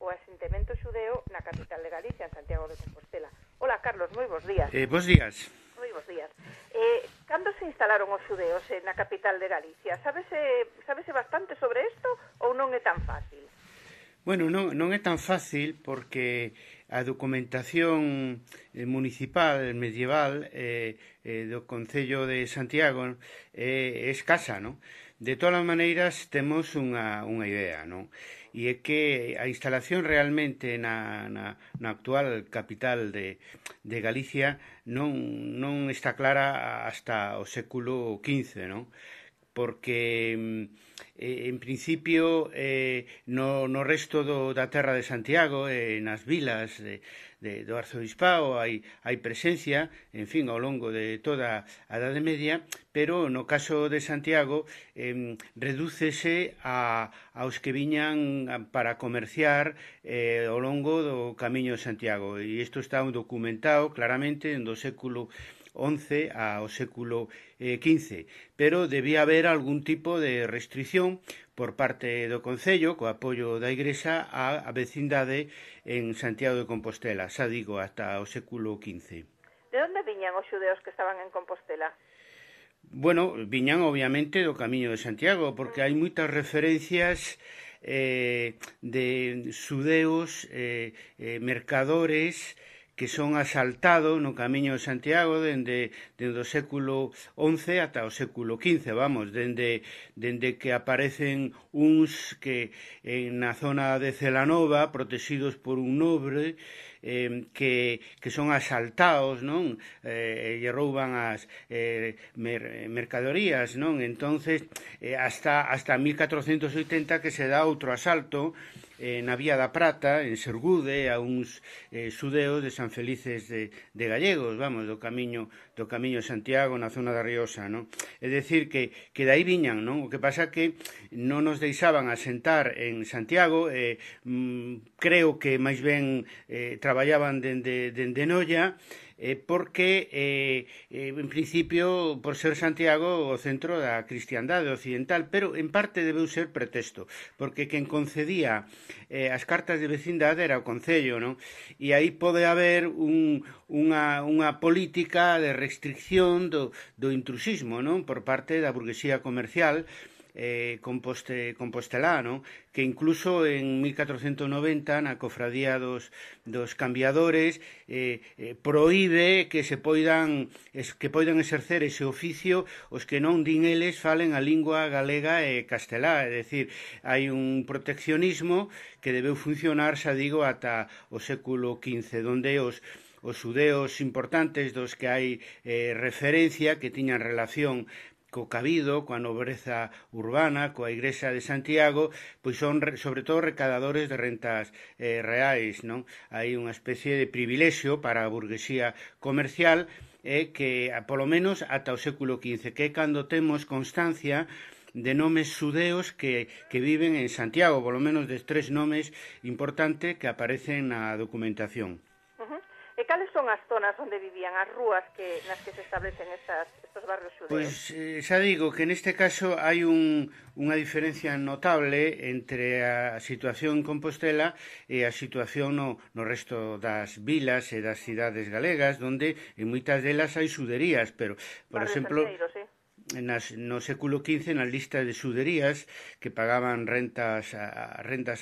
o asentamento xudeo na capital de Galicia, en Santiago de Compostela. Hola, Carlos, moi bons días. Bos días. Moi bons días. Cando se instalaron os xudeos na capital de Galicia? Sábese bastante sobre isto ou non é tan fácil? Bueno, non é tan fácil porque a documentación municipal medieval do Concello de Santiago é escasa, non? De todas as maneiras, temos unha idea, non? E é que a instalación realmente na actual capital de Galicia non está clara hasta o século XV, non? Porque en principio no resto da terra de Santiago, nas vilas do arzobispado hai presencia, en fin, ao longo de toda a Idade Media, pero no caso de Santiago redúcese aos que viñan para comerciar ao longo do Camiño de Santiago, e isto está documentado claramente do século XI ao século XV, pero debía haber algún tipo de restricción por parte do Concello, co apoio da Igrexa, á vecindade en Santiago de Compostela, xa digo, ata o século XV. De onde viñan os xudeos que estaban en Compostela? Bueno, viñan obviamente do Camiño de Santiago, porque hai moitas referencias de xudeos, mercadores, que son asaltados no Camiño de Santiago dende o século XI ata o século XV, vamos, dende que aparecen uns que na zona de Celanova, protegidos por un nobre, que son asaltados, non? E rouban as mercadorías, non? Entonces, hasta 1480 que se dá outro asalto na Vía da Prata, en Sergude, a uns xudeos de San Felices de Gallegos, vamos, do Camiño de Santiago, na zona da Riosa, non? É dicir, que dai viñan, non? O que pasa que non nos deixaban asentar en Santiago, creo que máis ben traballaban dende Noia, porque en principio por ser Santiago o centro da cristiandade occidental, pero en parte debeu ser pretexto, porque quen concedía as cartas de vecindade era o Concello, non? E aí pode haber unha política de restricción do intrusismo, non? Por parte da burguesía comercial compostelá, non? Que incluso en 1490 na cofradía dos cambiadores proíbe que poidan exercer ese oficio os que non din eles falen a lingua galega e castelá, é dicir, hai un proteccionismo que debeu funcionar, xa digo, ata o século XV, donde os xudeos importantes dos que hai referencia, que tiñan relación co cabido, coa nobreza urbana, coa Igrexa de Santiago, pois son sobre todo recadadores de rentas reais, non? Hai unha especie de privilexio para a burguesía comercial que, polo menos, ata o século XV, que é cando temos constancia de nomes xudeos que viven en Santiago, polo menos de 3 nomes importantes que aparecen na documentación. E cales son as zonas onde vivían, as rúas nas que se establecen estos barrios xudeos? Pois xa digo que neste caso hai unha diferencia notable entre a situación en Compostela e a situación no resto das vilas e das cidades galegas, onde en moitas delas hai xuderías, pero, por exemplo, no século XV, na lista de xuderías que pagaban rentas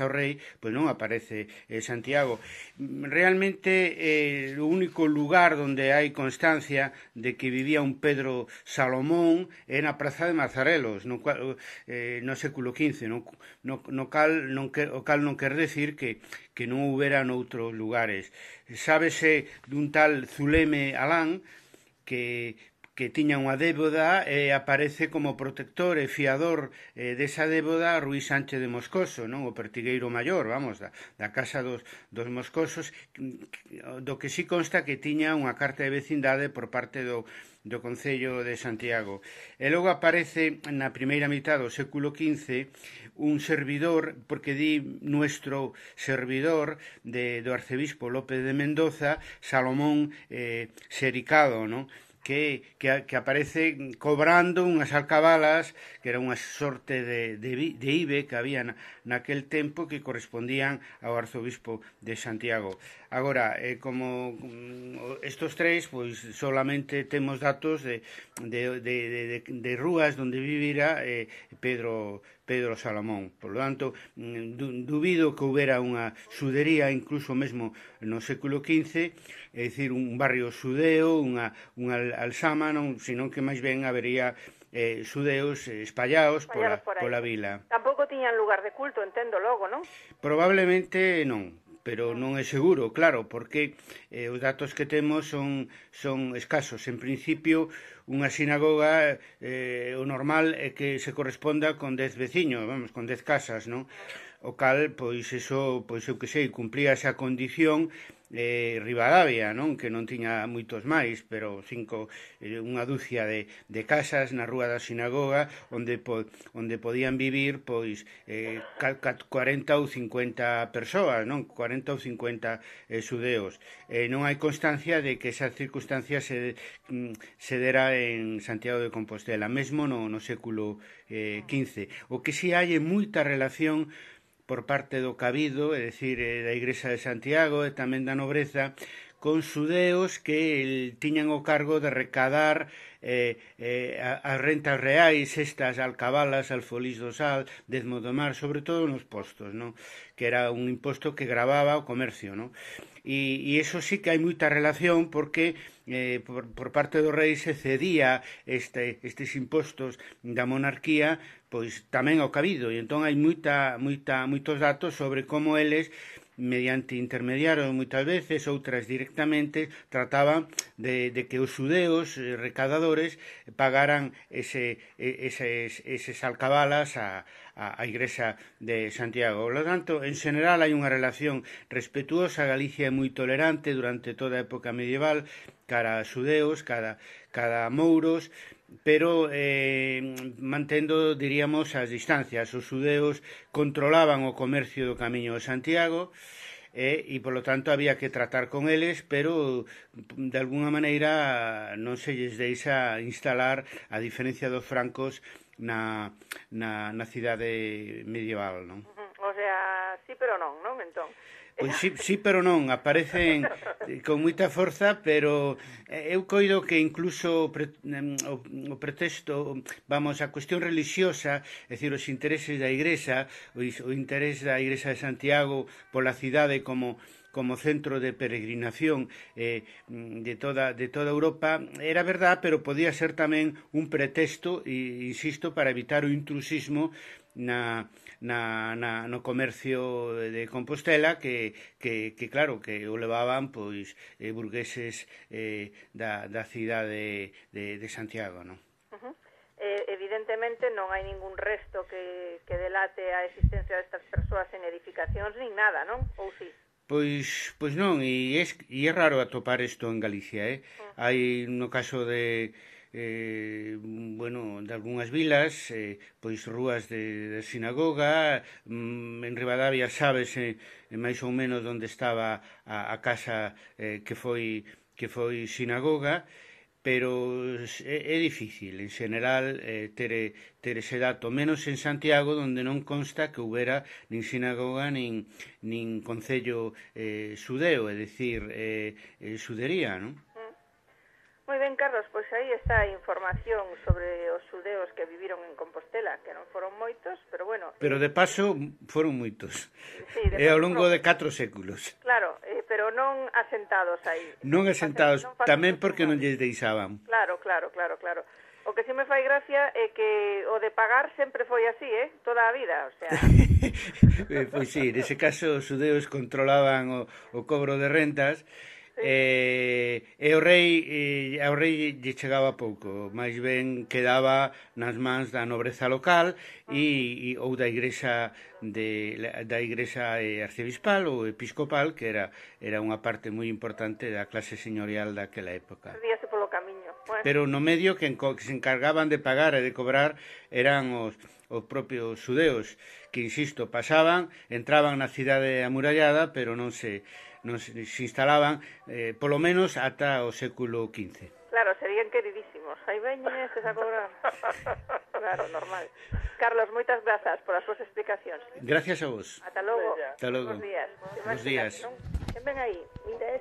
ao rei, pois non aparece Santiago. Realmente o único lugar onde hai constancia de que vivía un Pedro Salomón é na Praza de Mazarelos, no século XV, o cal non quer decir que non houbera noutros lugares. Sábese dun tal Zuleme Alán que tiña unha débeda e aparece como protector e fiador desa débeda Ruy Sánchez de Moscoso, non? O pertigueiro maior, vamos, da casa dos Moscosos, do que sí consta que tiña unha carta de vecindade por parte do Concello de Santiago. E logo aparece na primeira mitad do século XV un servidor, porque di nuestro servidor do arcebispo López de Mendoza, Salomón Sericado, non? que aparece cobrando unhas alcabalas que era unha sorte de ibe que había naquel tempo que correspondían ao arzobispo de Santiago. Agora, como estos tres, pois solamente temos datos de rúas onde vivira Pedro Salomón. Por lo tanto, dubido que houbera unha xudería incluso mesmo no século XV, é dicir, un barrio xudeo, unha alzama, senón que máis ben habería xudeos espallados pola vila. Tampouco tiñan lugar de culto, entendo logo, non? Probablemente non, pero non é seguro, claro, porque os datos que temos son escasos. En principio, unha sinagoga, o normal é que se corresponda con 10 veciños, vamos, con 10 casas, non? O cal, pois, eso, pois, eu que sei, cumplía esa condición Ribadavia, non? Que non tiña moitos máis, pero unha dúcia de casas na rúa da sinagoga onde podían vivir pois 40 ou 50 persoas, non? 40 ou 50 xudeos. Non hai constancia de que esa circunstancia se dera en Santiago de Compostela, mesmo no século XV. O que si hai é moita relación por parte do cabido, é dicir, da Igrexa de Santiago e tamén da nobreza, con xudeos que tiñan o cargo de recadar as rentas reais, estas alcabalas, alfolís do sal, dezmo do mar, sobre todo nos postos, non? Que era un imposto que gravaba o comercio, non? E iso sí que hai moita relación porque por parte do rei se cedía estes impostos da monarquía pois tamén ao cabido, e entón hai moitos datos sobre como eles mediante intermediarios moitas veces, outras directamente, trataban de que os xudeos recadadores pagaran eses alcabalas á Igrexa de Santiago. Por lo tanto, en general hai unha relación respetuosa. Galicia é moi tolerante durante toda a época medieval cara a xudeos, cara a mouros, pero mantendo, diríamos, as distancias. Os xudeos controlaban o comercio do Camiño de Santiago e, polo tanto, había que tratar con eles, pero, de alguna maneira, non se lles deixa instalar, a diferencia dos francos, na cidade medieval, non? O sea, sí, pero non, entón? Pois sí, pero non, aparecen con moita forza, pero eu coido que incluso o pretexto, vamos, a cuestión religiosa, é dicir, os intereses da Igrexa, o interés da Igrexa de Santiago pola cidade como centro de peregrinación de toda Europa, era verdad, pero podía ser tamén un pretexto, insisto, para evitar o intrusismo no comercio de Compostela que claro, que o levaban pois burgueses da cidade de Santiago, non? Evidentemente non hai ningún resto que delate a existencia destas persoas en edificacións nin nada, non? Ou si? Pois non, e é raro atopar isto en Galicia, Hai no caso de de algunhas vilas, pois rúas de sinagoga, en Ribadavia sábese máis ou menos onde estaba a casa que foi sinagoga, pero é difícil, en general, ter ese dato, menos en Santiago, onde non consta que houbera nin sinagoga nin concello xudeo, é dicir, xudería, non? Moi ben, Carlos, pois aí está a información sobre os xudeos que viviron en Compostela, que non foron moitos, pero bueno... Pero de paso foron moitos, sí, ao longo de 4 séculos. Claro, pero non asentados aí. Non asentados, tamén porque non lles deixaban. Claro. O que si me fai gracia é que o de pagar sempre foi así, toda a vida, o sea... Pois sí, nese caso os xudeos controlaban o cobro de rentas, e ao rei lle chegaba pouco, máis ben quedaba nas mans da nobreza local ou da igrexa arcebispal ou episcopal, que era unha parte moi importante da clase señorial daquela época. Perdíase polo camiño. Bueno. Pero no medio que se encargaban de pagar e de cobrar eran os propios xudeos, que, insisto, pasaban, entraban na cidade amurallada, pero non se instalaban, polo menos ata o século XV. Claro, sería serían queridísimos. Aí veñen estes a cobrar. Claro, normal. Carlos, moitas grazas por as súas explicacións. Gracias a vos. Ata logo. Ata logo. Bos días. Bos días. Quen ven aí? Mira